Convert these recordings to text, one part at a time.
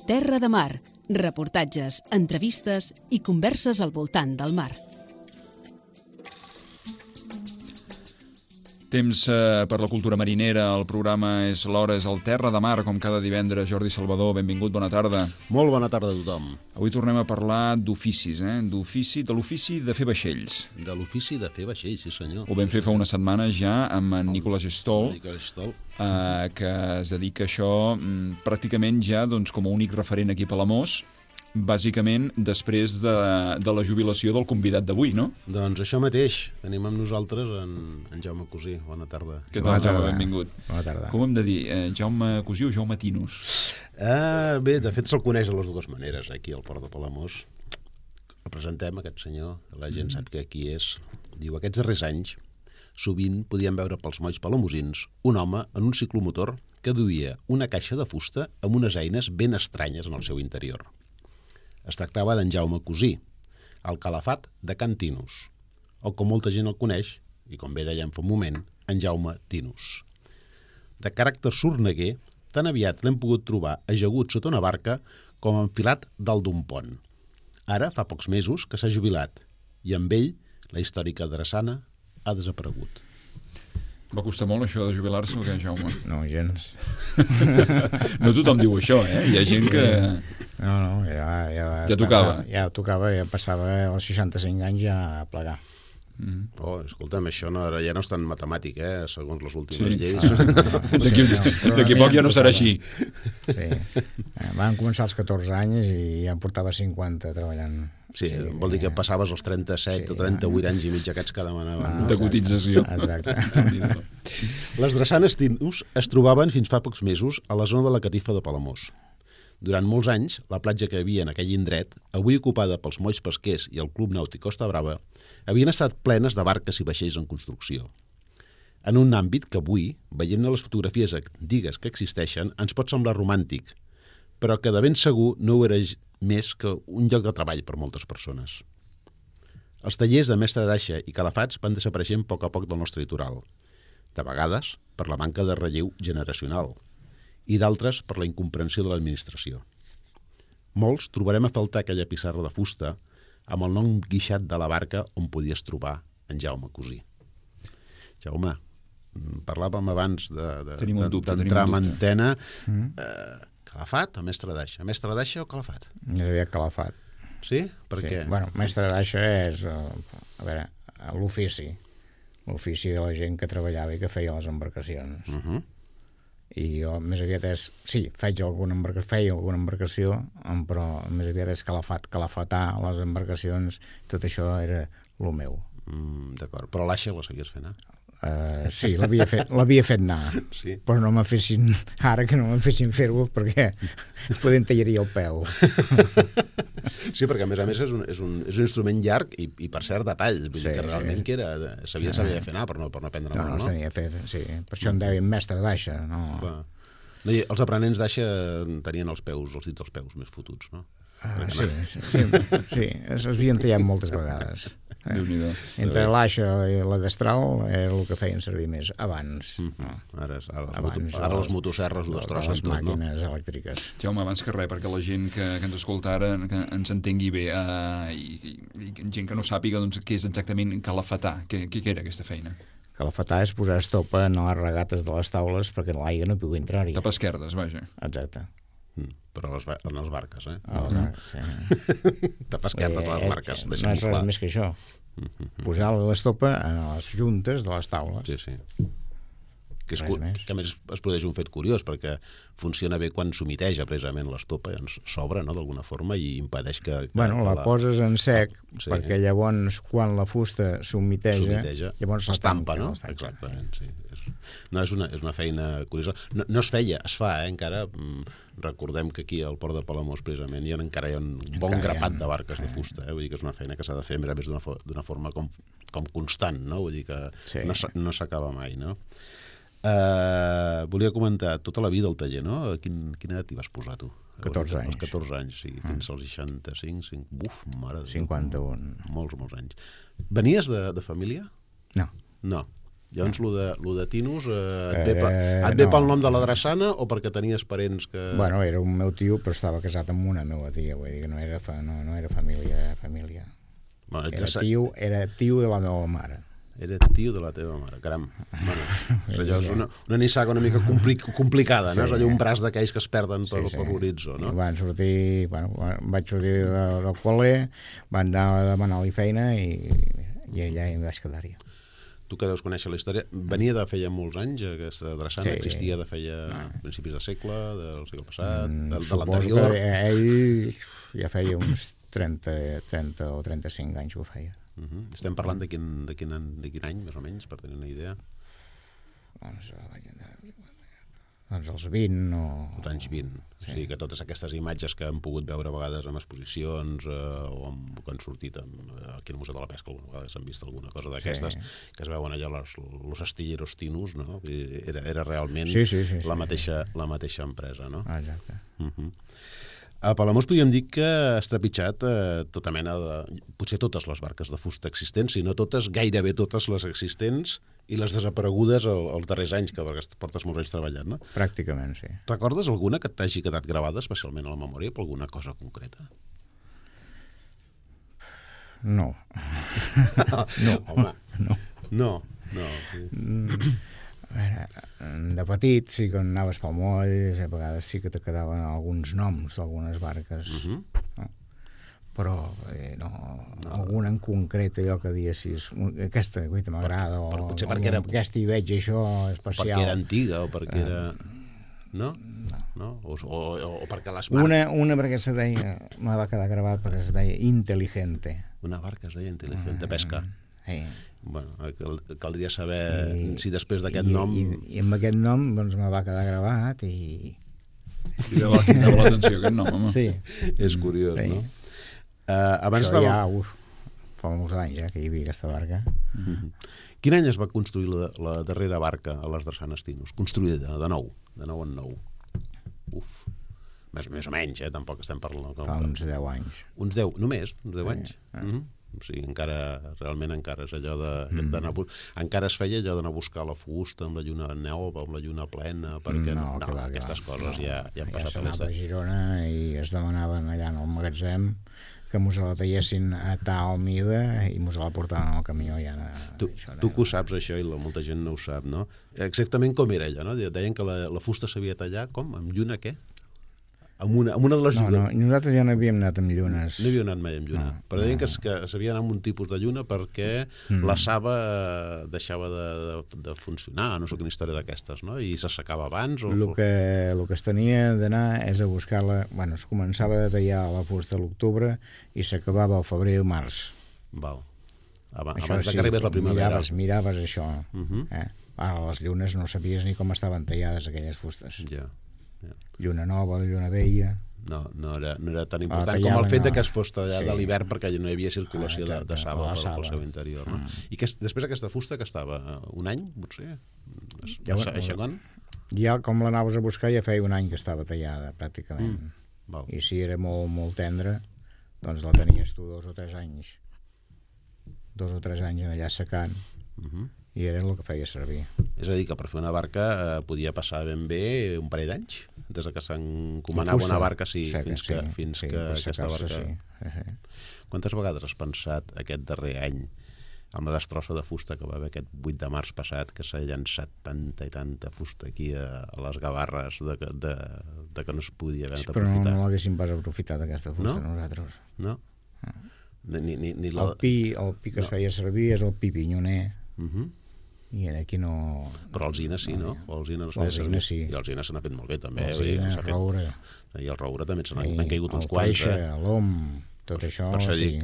Terra de Mar, reportatges, entrevistes i converses al voltant del mar. Temps per la cultura marinera, el programa és l'Hora, és el Terra de Mar, com cada divendres. Jordi Salvador, benvingut, bona tarda. Molt bona tarda a tothom. Avui tornem a parlar d'oficis, de l'ofici de fer vaixells. De l'ofici de fer vaixells, sí senyor. Ho vam fer fa una setmana ja amb en Nicolas Stoll, que es dedica a això pràcticament ja com a únic referent aquí a Palamós, bàsicament després de la jubilació del convidat d'avui, no? Doncs això mateix. Tenim amb nosaltres en Jaume Cosí. Bona tarda. Què tal, Jaume? Benvingut. Bona tarda. Com hem de dir? Jaume Cosí o Jaume Tinus? Bé, de fet se'l coneix de les dues maneres, aquí al Port de Palamós. El presentem, aquest senyor, la gent sap que qui és. Diu, aquests darrers anys, sovint podíem veure pels molls palamosins un home en un ciclomotor que duia una caixa de fusta amb unes eines ben estranyes en el seu interior. Es tractava d'en Jaume Cosí, el calafat de Can Tinus, o com molta gent el coneix, i com bé dèiem fa un moment, en Jaume Tinus. De caràcter sorneguer, tan aviat l'hem pogut trobar ajagut sota una barca com enfilat dalt d'un pont. Ara fa pocs mesos que s'ha jubilat, i amb ell la històrica drassana ha desaparegut. Va costar molt això de jubilar-se o què, Jaume? No, gens. No tothom diu això, eh? Hi ha gent que... No, Ja tocava. Ja tocava, ja passava als 65 anys ja a plegar. Escolta'm, això ja no és tan matemàtic, segons les últimes lleis. D'aquí poc ja no serà així. Sí. Van començar als 14 anys i ja en portava 50 treballant. Sí, vol dir que passaves els 37 o 38 anys i mig aquests que demanaven. De cotització. Exacte. Les drassanes Tinus es trobaven fins fa pocs mesos a la zona de la Catifa de Palamós. Durant molts anys, la platja que hi havia en aquell indret, avui ocupada pels molls pesquers i el Club Nàutic Costa Brava, havien estat plenes de barques i vaixells en construcció. En un àmbit que avui, veient les fotografies antigues que existeixen, ens pot semblar romàntic, però que de ben segur no ho era més que un lloc de treball per moltes persones. Els tallers de mestre d'aixa i calafats van desapareixent a poc del nostre litoral, de vegades per la manca de relleu generacional, i d'altres per la incomprensió de l'administració. Molts trobarem a faltar aquella pissarra de fusta amb el nom guixat de la barca on podies trobar en Jaume Cosí. Jaume, parlàvem abans d'entrar en antena. Calafat o mestre d'aixa? Mestre d'aixa o calafat? Més aviat calafat. Sí? Per què? Bueno, mestre d'aixa és l'ofici. L'ofici de la gent que treballava i que feia les embarcacions. I jo més aviat és... Sí, feia alguna embarcació, però més aviat és calafatar les embarcacions, tot això era el meu. D'acord, però l'aixa la seguies fent, Sí, l'havia fet anar, sí. Però no me fessin, ara que no me fessin fer-ho perquè poder em tallaria el peu. Sí, perquè a més és un instrument llarg i per cert de tall, vull dir que realment que s'havia de fer anar per no prendre mal, no? No, tenia fer, sí, per això em deien mestre d'aixa, no? Els aprenents d'aixa tenien els dits dels peus més fotuts, no? Sí, es havien tallat moltes vegades. Entre l'aixa i la destral era el que feien servir més abans. Ara les motoserres ho destrossen tot, no? Les màquines elèctriques. Jaume, abans que res, perquè la gent que ens escolta ara que ens entengui bé i gent que no sàpiga què és exactament calafatar, què era aquesta feina? Calafatar és posar estopa en les regates de les taules perquè l'aigua no pugui entrar-hi. Tapar esquerdes, vaja. Exacte. Però en les barques, sí. Tapar esquerdes a les barques, no és res més que això. Posar l'estopa en les juntes de les taules. Sí. Que a més es produeix un fet curiós, perquè funciona bé quan s'humiteja precisament l'estopa, s'obre, no?, d'alguna forma, i impedeix que... La poses en sec, perquè llavors, quan la fusta s'humiteja, llavors s'estampa, no? Exactament, sí. No, és una feina curiosa. No es feia, es fa, encara. Recordem que aquí al Port de Palamós, precisament, encara hi ha un bon grapat de barques de fusta. Vull dir que és una feina que s'ha de fer a més d'una forma com constant, no? Vull dir que no s'acaba mai, no? Volia comentar tota la vida al taller, no? Quina edat hi vas posar, tu? 14 anys. 14 anys, sí. Fins als 65, buf, mare de Déu. 51. Molts anys. Venies de família? No. No. Llavors, lo de Tinus et ve pel nom de la drassana o perquè tenies parents que... Bueno, era un meu tio, però estava casat amb una meva tia, vull dir que no era família. Bueno, Era tio de la meva mare. Era tio de la teva mare, caram. Bueno, allò és una nissaga una mica complicada, no? És allò un braç d'aquells que es perden per l'horitzó, no? Vaig sortir del col·le, van anar a demanar-li feina i allà em vaig quedar-hi. Tu que deus conèixer la història, venia de feia molts anys, aquesta drassana existia de feia principis de segle, del segle passat, de l'anterior? Suposo que ell ja feia uns 30 o 35 anys que ho feia. Estem parlant de quin any, més o menys, per tenir una idea? Doncs els 20 o... Els anys 20. Sí. O sigui que totes aquestes imatges que hem pogut veure a vegades en exposicions o que han sortit aquí al Museu de la Pesca, alguna vegada s'han vist alguna cosa d'aquestes, que es veuen allà los astilleros Tinus, no? Era realment la mateixa empresa, no? Exacte. A Palamós podríem dir que ha estrepitjat tota mena de... potser totes les barques de fusta existents, si no totes, gairebé totes les existents i les desaparegudes els darrers anys, que portes molts anys treballant, no? Pràcticament, sí. Recordes alguna que t'hagi quedat gravada, especialment a la memòria, per alguna cosa concreta? No. Home, no. A veure, de petit, sí que anaves pel moll, a vegades sí que te quedaven alguns noms d'algunes barques, no? Però no, alguna en concret, allò que diessis, aquesta m'agrada, o potser perquè era... aquesta hi veig això especial. Perquè era antiga o perquè era... No? O perquè les marques... Una perquè se deia, me va quedar gravat perquè es deia Inteligente. Una barca es deia Inteligente Pesca. Sí. Bueno, caldria saber si després d'aquest nom... I amb aquest nom doncs me va quedar gravat i... Cridava l'atenció aquest nom, home. Sí. És curiós, no? Abans això ja, fa molts anys que hi havia aquesta barca. Quin any es va construir la darrera barca a les drassanes Tinus? Construïda, de nou en nou. Més o menys, tampoc estem parlant... Fa uns 10 anys. Uns 10, només? Uns 10 anys? O sigui, realment encara és allò d'anar... Encara es feia allò d'anar a buscar la fusta amb la lluna nova, amb la lluna plena, perquè aquestes coses ja han passat. Ja s'anava a Girona i es demanaven allà en el magatzem que mos la tallessin a tal mida i mos la portaven al camió. Tu que ho saps, això, i molta gent no ho sap, no? Exactament com era allò, no? Deien que la fusta s'havia de tallar, com? Amb lluna què? Amb una de les llunes. No, nosaltres ja no havíem anat amb llunes. No havíem anat mai amb lluna. Però deien que s'havia d'anar amb un tipus de lluna perquè la saba deixava de funcionar, no sé quina història d'aquestes, no? I s'assecava abans. El que es tenia d'anar és a buscar-la... Bueno, es començava a tallar la fusta a l'octubre i s'acabava al febrer o març. Val. Abans que arribés la primavera. Miraves això. Ara les llunes no sabies ni com estaven tallades aquelles fustes. Ja. Lluna nova, lluna vella... No era tan important com el fet que es fos tallat de l'hivern perquè no hi havia circulació de saba pel seu interior. I després aquesta fusta que estava un any, potser? Ja com l'anaves a buscar ja feia un any que estava tallada, pràcticament. I si era molt, molt tendra, doncs la tenies tu 2 o 3 anys. 2 o 3 anys allà secant. I era el que feia servir. És a dir, que per fer una barca podia passar ben bé un parell d'anys, des que s'encomanava una barca fins que aquesta barca... Quantes vegades has pensat aquest darrer any, amb la destrossa de fusta que va haver aquest 8 de març passat, que s'ha llançat tanta i tanta fusta aquí a les Gavarres de que no es podia haver aprofitat? Però no l'haguéssim pas aprofitat aquesta fusta, nosaltres. No? El pi que es feia servir és el pi pinyoner, i aquí no... Però l'alzina sí, no? L'alzina sí. I l'alzina se n'ha fet molt bé, també. L'alzina, el roure. I el roure també se n'han caigut uns quants. El freixe, l'om, tot això sí.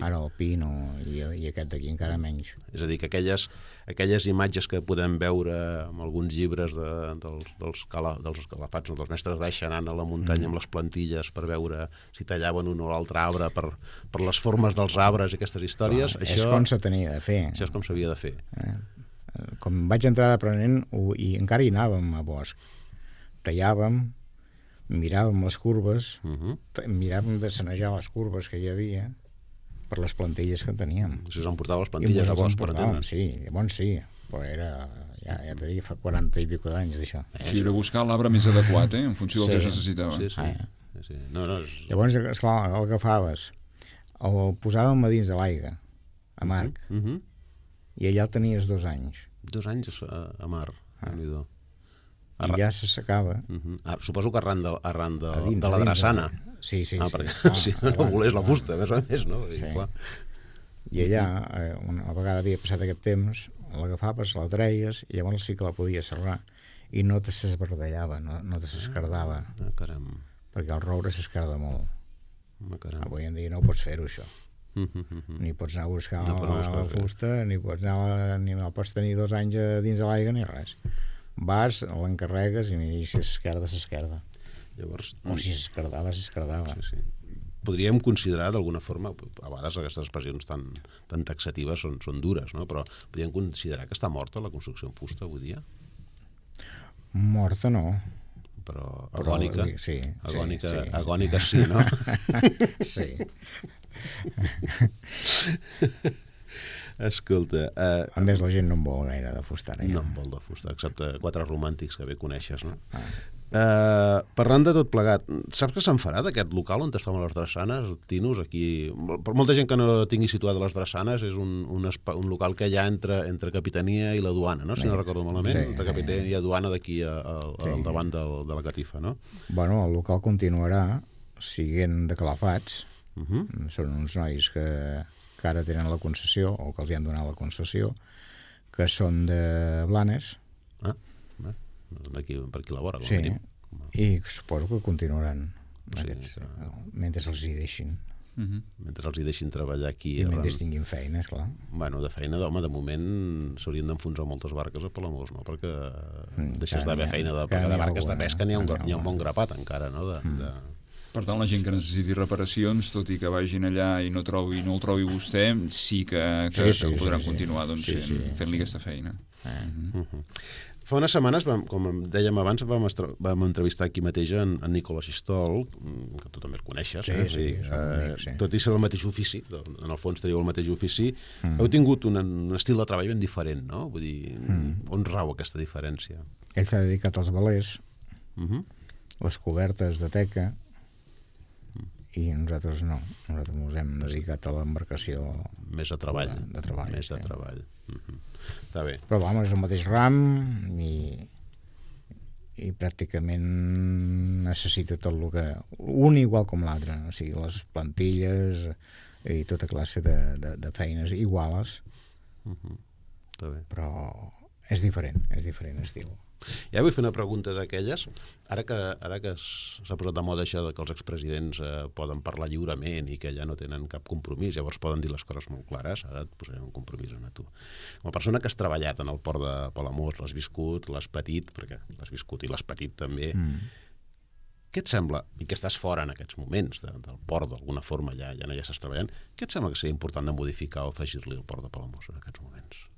Ara el pi no, i aquest d'aquí encara menys. És a dir, que aquelles imatges que podem veure en alguns llibres dels calafats, dels mestres d'aixa anant a la muntanya amb les plantilles per veure si tallaven un o l'altre arbre per les formes dels arbres i aquestes històries... És com se tenia de fer. Això és com s'havia de fer. Com vaig entrar d'aprenent, i encara hi anàvem a bosc, tallàvem, miràvem les curves, miràvem de sanejar les curves que hi havia per les plantilles que teníem. Això s'emportava les plantilles a bosc, per entendre. Sí, llavors sí. però era, ja t'he dit, fa 40 i pico d'anys d'això. Sí, era buscar l'arbre més adequat, en funció del que es necessitava. Sí. No, Llavors, esclar, el agafaves, el posàvem a dins de l'aigua, a Marc, i allà el tenies 2 anys. 2 anys a mar, déu-n'hi-do. I ja se secava. Suposo que arran de la drassana. Sí. Perquè si no volés la fusta, més o més, no? Clar. I allà, una vegada havia passat aquest temps, l'agafaves, la treies, i llavors sí que la podies serrar. I no te s'esbardellava, no te s'escardava. Caram. Perquè el roure s'escarda molt. Caram. Avui en dia no pots fer-ho, això. Ni pots anar a buscar la fusta, ni no pots tenir 2 anys dins de l'aigua, ni res. Vas, l'encarregues i si s'esquerda. Llavors... O si s'esquerdava. Sí. Podríem considerar d'alguna forma, a vegades aquestes expressions tan taxatives són dures, no? Però podríem considerar que està morta la construcció en fusta avui dia? Morta no. Però agònica? Sí. Agònica sí, no? Sí. Escolta... A més, la gent no en vol gaire de fusta. No en vol de fusta, excepte 4 romàntics que bé coneixes, no? Parlant de tot plegat, saps que se'n farà d'aquest local on estaven les drassanes, Tinus, aquí... Per molta gent que no tingui situat les drassanes, és un local que hi ha entre Capitania i la Duana, no? Si no recordo malament, entre Capitania i la Duana d'aquí al davant de la catifa, no? Bueno, el local continuarà siguent de Calafats. Són uns nois que ara tenen la concessió, o que els hi han donat la concessió, que són de Blanes. Per aquí la vora, sí, i suposo que continuaran mentre els hi deixin. Mentre els hi deixin treballar aquí. I mentre tinguin feina, esclar. Bueno, de feina, home, de moment s'haurien d'enfonsar moltes barques a Palamós, no? Perquè deixes d'haver feina de barques de pesca, n'hi ha un bon grapat encara, no? Per tant, la gent que necessiti reparacions, tot i que vagin allà i no el trobi vostè, sí que podran continuar fent-li aquesta feina. Fa unes setmanes, com dèiem abans, vam entrevistar aquí mateix en Nicola Xistol, que tu també el coneixes, tot i ser del mateix ofici, en el fons teniu el mateix ofici, heu tingut un estil de treball ben diferent, no? Vull dir, on rau aquesta diferència? Ell s'ha dedicat als velers, les cobertes de teca, i nosaltres no. Nosaltres ens hem dedicat a l'embarcació més a treball. De treball. Més de treball. Està bé. Però és el mateix ram i pràcticament necessita tot el que... Un igual com l'altre, o sigui, les plantilles i tota classe de feines iguales. Està bé. Però és diferent estil. Ja vull fer una pregunta d'aquelles. Ara que s'ha posat de moda això que els expresidents poden parlar lliurement i que ja no tenen cap compromís, llavors poden dir les coses molt clares, ara et posarem un compromís a tu. Com a persona que has treballat en el port de Palamós, l'has viscut, l'has patit, perquè l'has viscut i l'has patit també, què et sembla, i que estàs fora en aquests moments del port d'alguna forma, ja no hi estàs treballant, què et sembla que seria important de modificar o afegir-li al port de Palamós en aquests moments?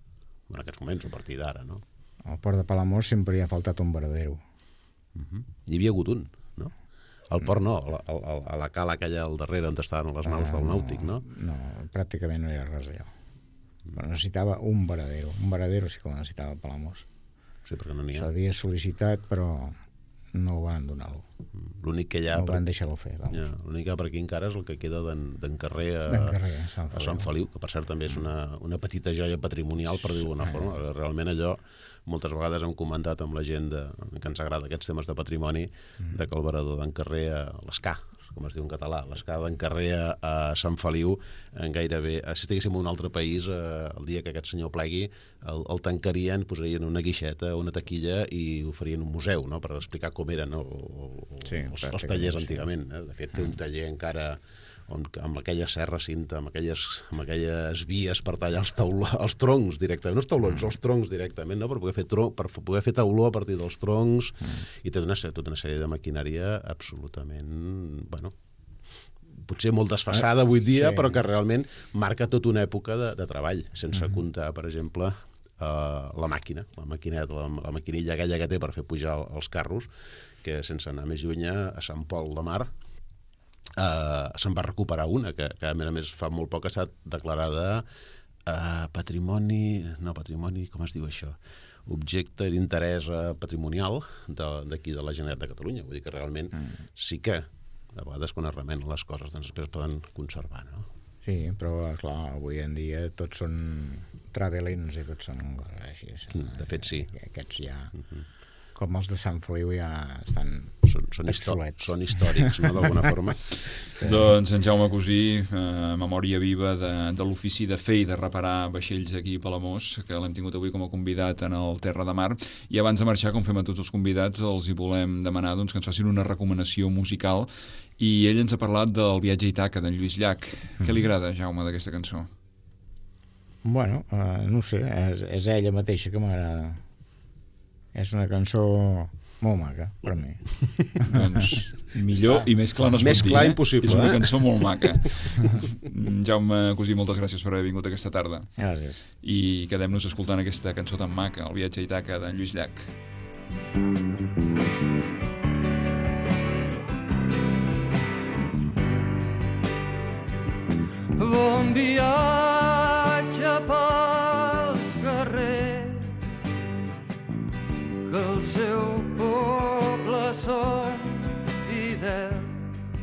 En aquests moments, a partir d'ara, no? Al port de Palamós sempre hi ha faltat un varadero. Hi havia hagut un, no? Al port no, a la cala aquella al darrere on estaven les naus del nàutic, no? No, pràcticament no era res allò. Però necessitava un varadero. Un varadero sí que el necessitava Palamós. Sí, perquè no n'hi ha. S'havia sol·licitat, però no ho van donar-lo. L'únic que hi ha... No van deixar-lo fer, vamos. L'únic que per aquí encara és el que queda d'en Carrer a Sant Feliu, que per cert també és una petita joia patrimonial, per dir-ho d'una forma. Realment allò, moltes vegades hem comentat amb la gent que ens agrada aquests temes de patrimoni, de que el varador d'en Carrer, l'Escà, com es diu en català, l'Escà d'en Carrer a Sant Feliu, gairebé, si estiguéssim en un altre país, el dia que aquest senyor plegui, el tancarien, posarien una guixeta, una taquilla i ho farien un museu, no?, per explicar com eren els tallers antigament. De fet, té un taller encara amb aquella serra cinta, amb aquelles vies per tallar els troncs directament, no els taulons, els troncs directament, no? Per poder fer tauló a partir dels troncs, i té tota una sèrie de maquinària absolutament, bueno, potser molt desfasada avui dia, però que realment marca tota una època de treball, sense comptar, per exemple, la maquinilla aquella que té per fer pujar els carros, que sense anar més lluny a Sant Pol de Mar se'n va recuperar una, que a més fa molt poc ha estat declarada patrimoni, com es diu això? Objecte d'interès patrimonial d'aquí de la Generalitat de Catalunya. Vull dir que realment sí que de vegades quan es remenen les coses doncs després poden conservar, no? Sí, però clar, avui en dia tots són travelins i tots són així. De fet, sí. Aquests ja, com els de Sant Feliu, ja estan obsolets. Són històrics, no, d'alguna forma. Sí. Doncs en Jaume Cosí, memòria viva de l'ofici de fer i de reparar vaixells aquí a Palamós, que l'hem tingut avui com a convidat en el Terra de Mar. I abans de marxar, com fem a tots els convidats, els hi volem demanar doncs, que ens facin una recomanació musical. I ell ens ha parlat del Viatge a Ítaca, d'en Lluís Llach. Què li agrada, Jaume, d'aquesta cançó? Bueno, no sé, és ella mateixa que m'agrada. És una cançó molt maca, per mi. Doncs millor i més clar no es pot dir. Més clar impossible. És una cançó molt maca. Jaume Cosí, moltes gràcies per haver vingut aquesta tarda. Gràcies. I quedem-nos escoltant aquesta cançó tan maca, El Viatge a Ítaca, d'en Lluís Llach. Bon viatge pels carrers, que el seu poble són fidels,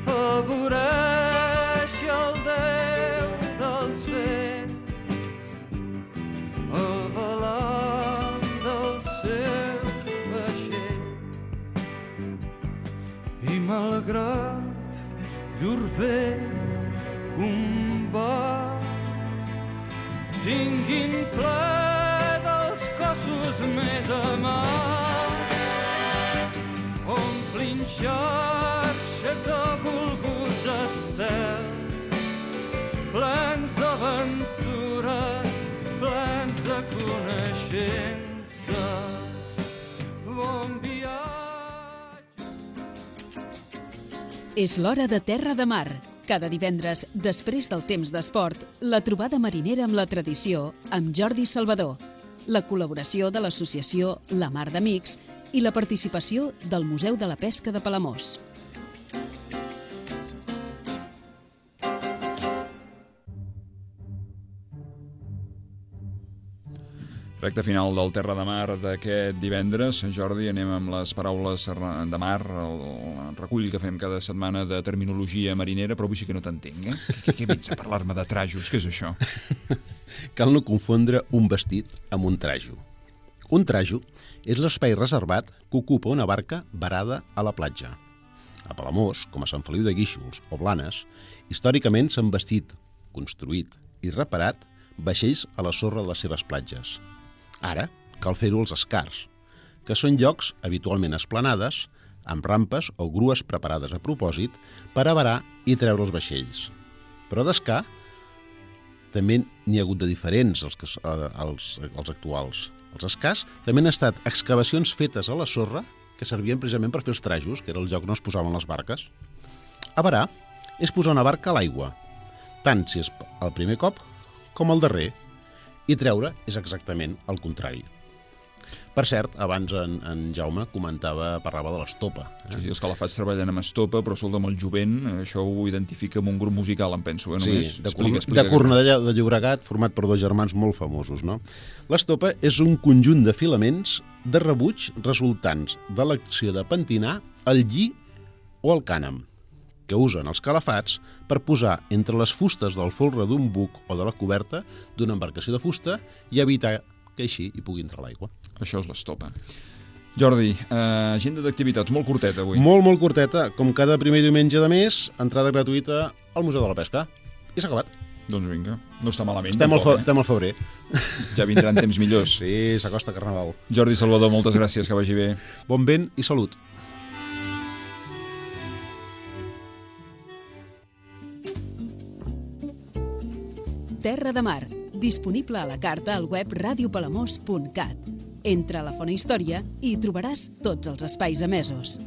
favoreix el Déu dels vents, el balanç del seu vaixell, i malgrat llur vell combat tinguin ple dels cossos més amats, omplin xarxes de volguts estels, plens d'aventures, plens de coneixences. Bon viatge. És l'hora de Terra de Mar. Cada divendres, després del temps d'esport, la trobada marinera amb la tradició amb Jordi Salvador, la col·laboració de l'associació La Mar d'Amics i la participació del Museu de la Pesca de Palamós. Recte final del Terra de Mar d'aquest divendres. Jordi, anem amb les paraules de mar, el recull que fem cada setmana de terminologia marinera, però avui sí que no t'entenc, eh? Què vens a parlar-me de trajos? Què és això? Cal no confondre un vestit amb un trajo. Un trajo és l'espai reservat que ocupa una barca varada a la platja. A Palamós, com a Sant Feliu de Guíxols o Blanes, històricament s'han vestit, construït i reparat vaixells a la sorra de les seves platges. Ara cal fer-ho als escars, que són llocs habitualment esplanades, amb rampes o grues preparades a propòsit per avarar i treure els vaixells. Però d'escar també n'hi ha hagut de diferents als actuals. Els escars també han estat excavacions fetes a la sorra que servien precisament per fer els trajos, que era el lloc on es posaven les barques. Avarar és posar una barca a l'aigua, tant si és el primer cop com el darrer, i treure és exactament el contrari. Per cert, abans en Jaume parlava de l'estopa. Sí, els calafats treballen amb estopa, però sols amb el jovent, això ho identifica amb un grup musical, em penso. Sí, de Cornellà de Llobregat, format per dos germans molt famosos, no? L'estopa és un conjunt de filaments de rebuig resultants de l'acció de pentinar el lli o el cànem, que usen els calafats per posar entre les fustes del folre d'un buc o de la coberta d'una embarcació de fusta i evitar que així hi pugui entrar l'aigua. Això és l'estopa. Jordi, agenda d'activitats molt curteta avui. Molt curteta. Com cada primer diumenge de mes, entrada gratuïta al Museu de la Pesca. I s'ha acabat. Doncs vinga, no està malament. Estem al febrer. Ja vindran temps millors. Sí, s'acosta Carnaval. Jordi Salvador, moltes gràcies, que vagi bé. Bon vent i salut. Terra de Mar, disponible a la carta al web radiopalamós.cat. Entra a la Font Història i hi trobaràs tots els espais emesos.